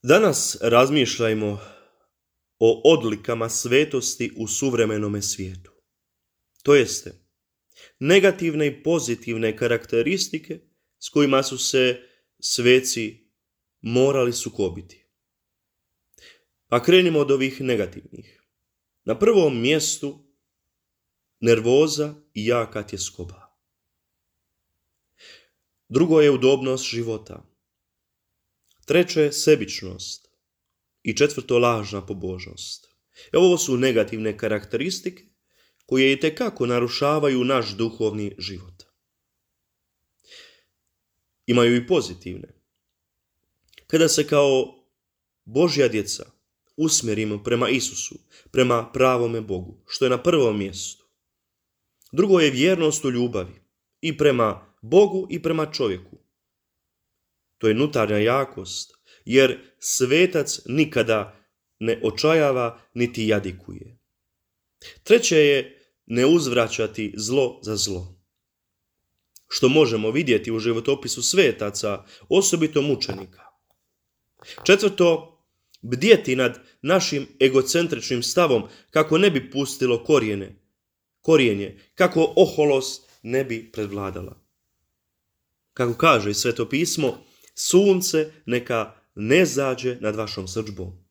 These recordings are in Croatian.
Danas razmišljajmo o odlikama svetosti u suvremenome svijetu. To jeste, negativne i pozitivne karakteristike s kojima su se sveci morali sukobiti. Pa krenimo od ovih negativnih. Na prvom mjestu nervoza i jaka tjeskoba. Drugo je udobnost života. Treće, sebičnost. I četvrto, lažna pobožnost. Ovo su negativne karakteristike koje itekako narušavaju naš duhovni život. Imaju i pozitivne. Kada se kao Božja djeca usmjerimo prema Isusu, prema pravome Bogu, što je na prvom mjestu. Drugo je vjernost u ljubavi i prema Bogu i prema čovjeku. To je unutarnja jakost, jer svetac nikada ne očajava niti jadikuje. Treće je ne uzvraćati zlo za zlo, što možemo vidjeti u životopisu svetaca, osobito mučenika. Četvrto, bdjeti nad našim egocentričnim stavom kako ne bi pustilo korijenje, kako oholost ne bi predvladala. Kako kaže Sveto pismo, sunce neka ne zađe nad vašom srdžbom.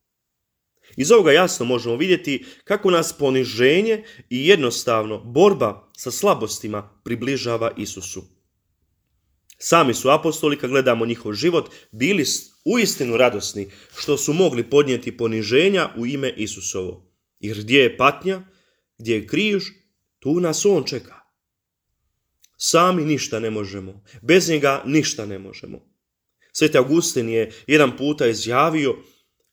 Iz ovoga jasno možemo vidjeti kako nas poniženje i jednostavno borba sa slabostima približava Isusu. Sami su apostoli, kad gledamo njihov život, bili uistinu radosni što su mogli podnijeti poniženja u ime Isusovo. Jer gdje je patnja, gdje je križ, tu nas on čeka. Sami ništa ne možemo, bez njega ništa ne možemo. Sveti Augustin je jedan puta izjavio: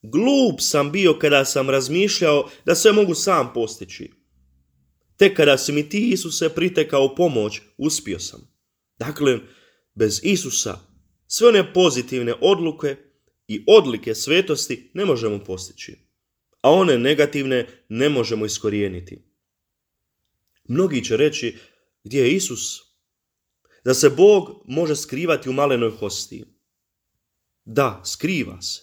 glup sam bio kada sam razmišljao da sve mogu sam postići. Tek kada si mi ti, Isuse, pritekao pomoć, uspio sam. Dakle, bez Isusa sve one pozitivne odluke i odlike svetosti ne možemo postići, a one negativne ne možemo iskorijeniti. Mnogi će reći: gdje je Isus? Da se Bog može skrivati u malenoj hostiji. Da, skriva se.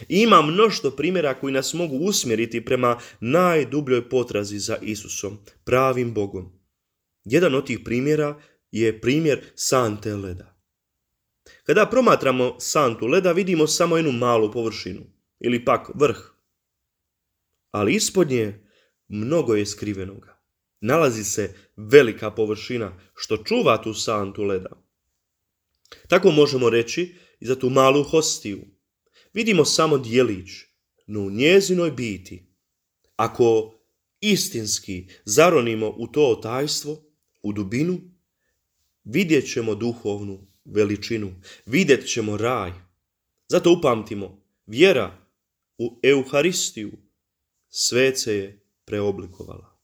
I ima mnoštvo primjera koji nas mogu usmjeriti prema najdubljoj potrazi za Isusom, pravim Bogom. Jedan od tih primjera je primjer sante leda. Kada promatramo santu leda, vidimo samo jednu malu površinu, ili pak vrh. Ali ispod nje mnogo je skrivenoga. Nalazi se velika površina što čuva tu santu leda. Tako možemo reći i za tu malu hostiju. Vidimo samo djelić, no u njezinoj biti, ako istinski zaronimo u to tajstvo, u dubinu, vidjet ćemo duhovnu veličinu, vidjet ćemo raj. Zato upamtimo, vjera u Euharistiju svece je preoblikovala.